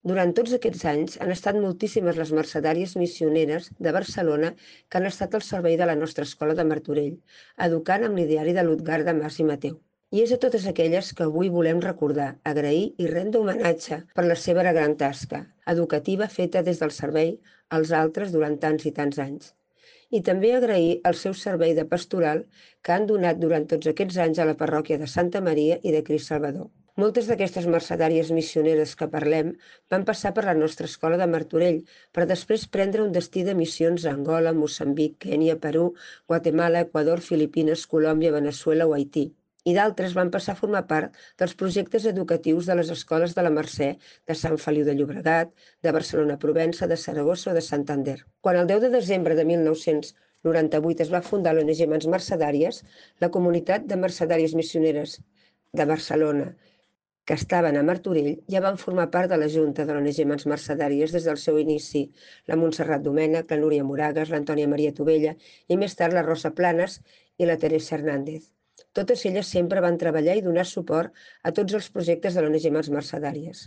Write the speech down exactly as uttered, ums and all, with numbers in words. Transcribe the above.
Durant tots aquests anys han estat moltíssimes les mercedàries missioneres de Barcelona que han estat al servei de la nostra escola de Martorell, educant amb l'ideari de Lutgarda Mas i Mateu. I és a totes aquelles que avui volem recordar, agrair i rendre homenatge per la seva gran tasca educativa feta des del servei als altres durant tants i tants anys. I també agrair el seu servei de pastoral que han donat durant tots aquests anys a la parròquia de Santa Maria i de Crist Salvador. Moltes d'aquestes mercedàries missioneres que parlem van passar per la nostra escola de Martorell per després prendre un destí de missions a Angola, Moçambic, Kènia, Perú, Guatemala, Equador, Filipines, Colòmbia, Veneçuela o Haití. I d'altres van passar a formar part dels projectes educatius de les escoles de la Mercè, de Sant Feliu de Llobregat, de Barcelona-Provença, de Saragossa o de Santander. Quan el deu de desembre de mil nou-cents noranta-vuit es va fundar l'O N G Mans Mercedàries, la comunitat de mercedàries missioneres de Barcelona que estaven a Martorell ja van formar part de la Junta de l'O N G Mans Mercedàries des del seu inici, la Montserrat Domènech, la Núria Moragas, l'Antònia Maria Tovella i més tard la Rosa Planes i la Teresa Hernández. Totes elles sempre van treballar i donar suport a tots els projectes de l'O N G Mans Mercedàries.